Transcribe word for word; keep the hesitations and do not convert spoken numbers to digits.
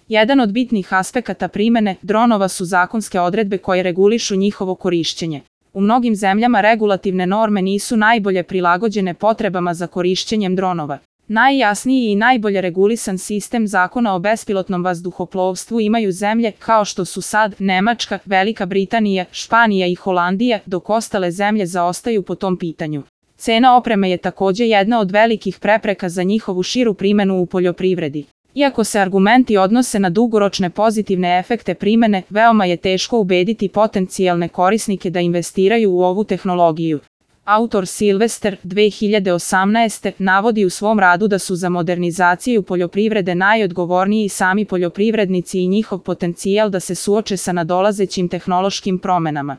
Jedan od bitnih aspekata primene dronova su zakonske odredbe koje regulišu njihovo korišćenje. U mnogim zemljama regulativne norme nisu najbolje prilagođene potrebama za korišćenjem dronova. Najjasniji i najbolje regulisan sistem zakona o bespilotnom vazduhoplovstvu imaju zemlje kao što su SAD, Nemačka, Velika Britanija, Španija i Holandija, dok ostale zemlje zaostaju po tom pitanju. Cena opreme je takođe jedna od velikih prepreka za njihovu širu primenu u poljoprivredi. Iako se argumenti odnose na dugoročne pozitivne efekte primene, veoma je teško ubediti potencijalne korisnike da investiraju u ovu tehnologiju. Autor Silvester dve hiljade osamnaeste. navodi u svom radu da su za modernizaciju poljoprivrede najodgovorniji sami poljoprivrednici i njihov potencijal da se suoče sa nadolazećim tehnološkim promenama.